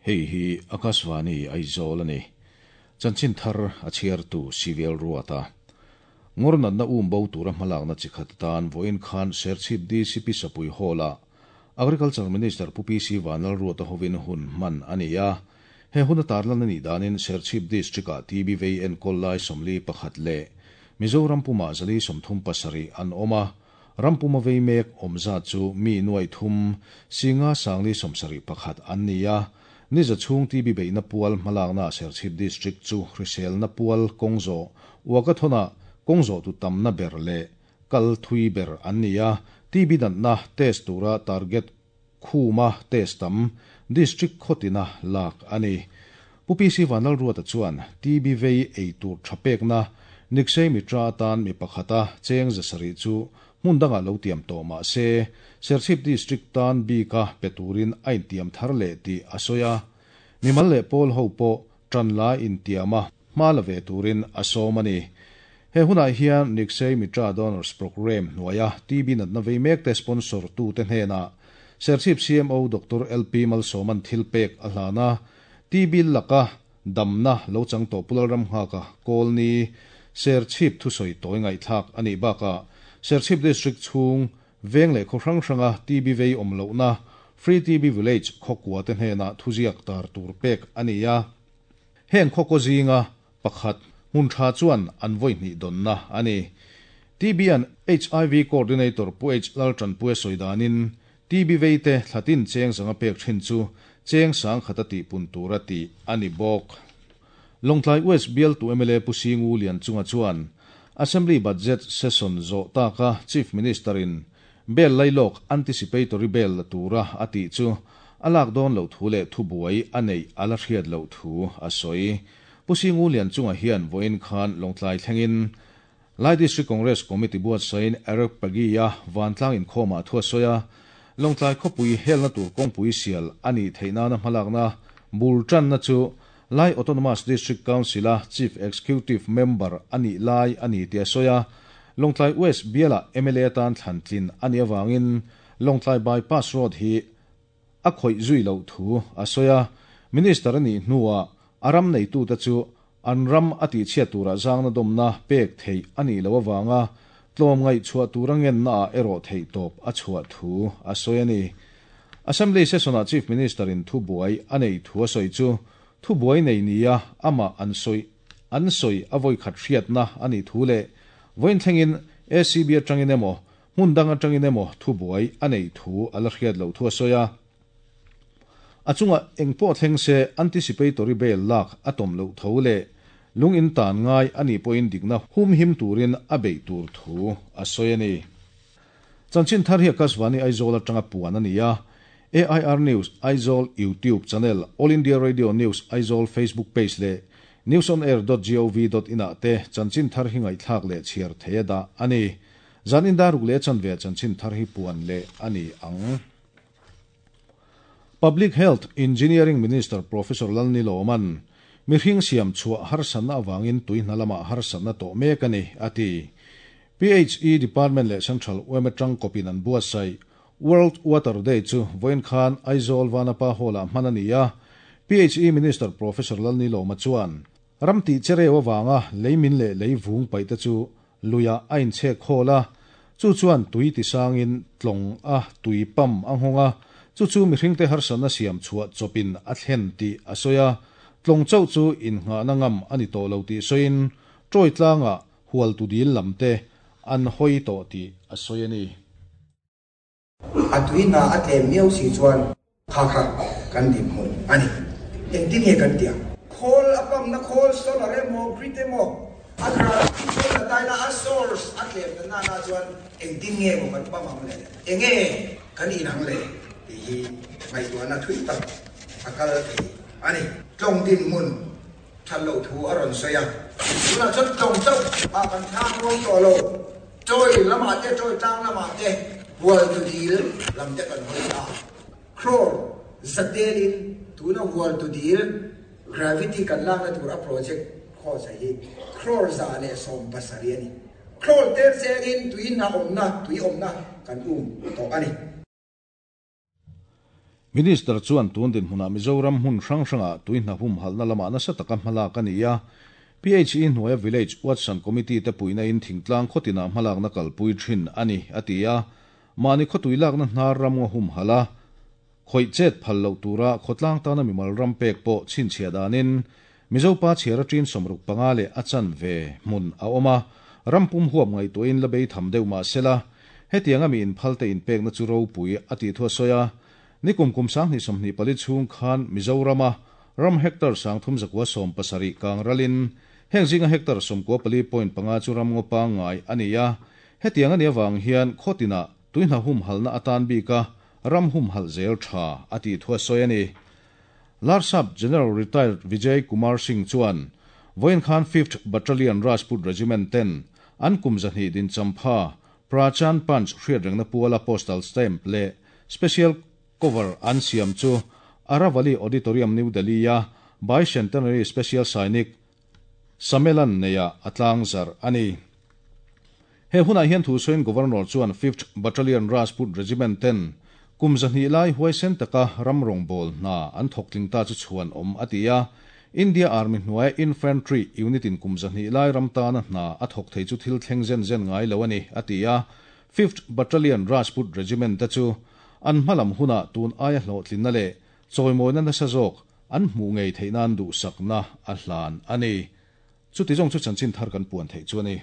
Hei hi Akashvani Aizawl a ni. Chanchin thar a chhiartu Civil Ruata. Ngawr natna um bo tura hmalakna chi khat atan vawiin khan Serchhip DCP Sapui Hall-ah Agriculture Minister Pu PC Vanlalruata hovin hun hman a ni a. He hun a tarlan a nih danin Serchhip District-ah TB vei enkawl lai 41 leh Mizoram pumah 437 an awm a, ram puma vei mek awm zat chu mi nuai thum singa sangli 71 an ni a. Ni za chhung TB beihna pual hmalakna Serchhip District chu hriselna pual kawngzawh Walkathon-ah kawngzawh tu tamna ber leh kal thui ber an ni a, TB natna test tura target khuma test tam District khawtina lak a ni. Pu PC Vanlalruata chuan TB vei ei tur tha pekna Nikshay Mitra atan mi pakhata cheng 700 chu hmun dangah lo tiam tawh mah se Serchhip District tan bika pe turin a intiam thar leh tih a sawi a. Mimal leh pawl ho pawh tan la intiama hma la ve turin a sawm a ni. He hunah hian Nikshay Mitra Donors Programme hnuaia TB natna vei mek te sponsor tu te hnenah Serchhip CMO Dr. LP Malsawman thil pek a hlana TB laka damna lo chang tawh Pulal ram nghaka Kawlni Serchhip thusawi tawi ngaihthlak ani baka Serchhip District chhung veng leh khaw hrang hranga TB vei awm lohna Free TB Village khawkua te hnenah thuziak tar tur pek ani a. Heng khaw kaw zinga pakhat hmun tha chuan an vawi hnih dawnna ani. TB an HIV Coordinator Pu H Laltan Pue sawidanin TB vei te thlatin cheng zanga pek thin chu cheng sang khata ti pun tura ti ani bawk. Lawngtlai West bial tu MLA Pu Singu Lian chunga chuan Assembly Budget Session zo taka Chief Minister in bel lailok anticipatory bail la tura ati chu alak don lo thu le thu buai anei ala hriat lo thu a sawi. Pu Singu Lian chunga hian voin khan Lawngtlai thlengin Lai District Congress Committee buat sain Eric Pagia vantlang in khoma thua soya Lawngtlai khawpui helna tur kawngpui sial ani theihna na hmalakna bul tan na chu Lai Autonomous District Council a Chief Executive Member ani lai ani tia soya Lawngtlai West biala MLA tan thlantlin ani awangin Lawngtlai Bypass Road hi a khawih zui lo thu a soya Minister ani hnuwa aram nei tu ta chu an ram ati chhia tura zangna domna pek thei ani lo awanga tlom ngai chhuah turangen na a ero thei top a chhuah thu a sawi ani. Assembly session a Chief Minister in thu buai anei thu a sawi chu thu buai nei nia ama an sawi an sawi a voi khat hriat na ani thu le voin thlengin ACB atangin emaw hmun dang atangin emaw thu buai anei thu ala hriat lo thu a sawi a. Achunga engpawh thleng se anticipatory bail lak atom lo tho le lung in tan ngai ani pawhin dikna hum him turin a bei tur thu a sawi ani. Chanchin thar hi Akashvani Aizawl atanga puan ani a. AIR News Aizawl YouTube channel, All India Radio News Aizawl Facebook page le newsonair.gov.in ah te chanchin thar hi ngaihthlak leh chhiar theia dah ani. Zanin daruk leh chanve chanchin thar hi puan le ani ang. Public Health Engineering Minister Professor Lalni Loman mi hring siam chhuah harsatna awangin tuihna lama harsatna tawh mek ani ati. PHE Department leh Central UMA tang kopin an buatsaih World Water Day chu vawiin khan Aizawl Vanapa Hall-ah hman ani a. PHE Minister Professor Lalni Loma chuan ram tih chereu awanga leimin leh lei vung paih te chu luia a inchhek khawl a, chu chuan tui ti sangin tlawng a tui pam a nghawnga chu chu mihring te harsatna siam chhuah chawpin a thlen tih a sawi a, tlawng chauh chu innghahna ngam ani tawh lo tih sawiin tawi tlanga hual tu dil lam te an hawi tawh tih a sawi ani. A tuina a tlem miau si chuan kha kha kan din hmun ani. Engtin nge kan tia? Khawl a pam na khawl solar emaw grid emaw a gravity chuan la taina a source a tlem na na chuan engtin nge maw kan pam ang le, enge kan inang le tih hi ngaihtuahna thui tak a kal thei ani. Tlawng din hmun that lo thu a rawn sawi a, tunah chuan tlawng chauh ah kan thlak ruang tawh lo, tawi lamah te tawi tlang lamah te hual tu dil lam te kan hawi ta. Crore zatelin tuna hual tu dil gravity kan lakna tur a project cost a hi crore 170 ani. Crore tel chengin tui na awmna tui awmna kan um tawh ani. Minister chuan tun dinhmunah Mizoram hmun hrang hrangah tui hna humhalhna lamah nasa taka hmalak a ni a, PHE hnuaia Village Watson Committee te puihna in thingtlang khawtinah hmalakna kalpui thin a ni, a ti a. Mahni khawtui lakna hnar ram ngaw humhalh a, khawih chet phal loh tura khawtlang tana mimal ram pek pawh chhinchhiah danin Mizo pa chhiar a ṭin 65 leh a chanve hmun a awm a, ram pum huap ngaihtuahin la bei tham deuh mah sela, hetianga mi inphalte inpekna chu ropui a tih thu a sawi a. Nikum kum 2024 chhung khan Mizorama ram hectare 3170 kang ralin heng zinga hectare 94.5 chu ram ngaw pangngai a ni a, hetiang a nih avang hian khawtinah tuihna humhalhna atan bika ram humhalh zel tha a tih thu a sawi a ni. Larsap General Retired Vijay Kumar Singh chuan vawiin khan Fifth Battalion Rajput Regiment ten an kum 200 din champha Prachan Panch hriatrengna puala postal stamp leh special cover an siam chu Aravali Auditorium New Delhi-a Bicentenary Special Sainik Sammelan neia a tlangzarh a ni. He hunah hian thu sawiin Governor chuan Fifth Battalion Rajput Regiment ten kum 200 lai huaisen taka ram rawngbâwl hna an thawk tling ta chu chhuan awm a ti a. India Army hnuaia Infantry Unit in kum 200 lai ram tana hna a thawk thei chu thil thleng zen zen ngai lo a ni, a ti a. Fifth Battalion Rajput Regiment te chu an hmalam hunah tun aia hlawhtlinna leh chawimawina nasa zawk an hmuh ngei theih nan duhsakna a hlan a ni. Chuti zawng chu chanchin thar kan puan theih chu a ni.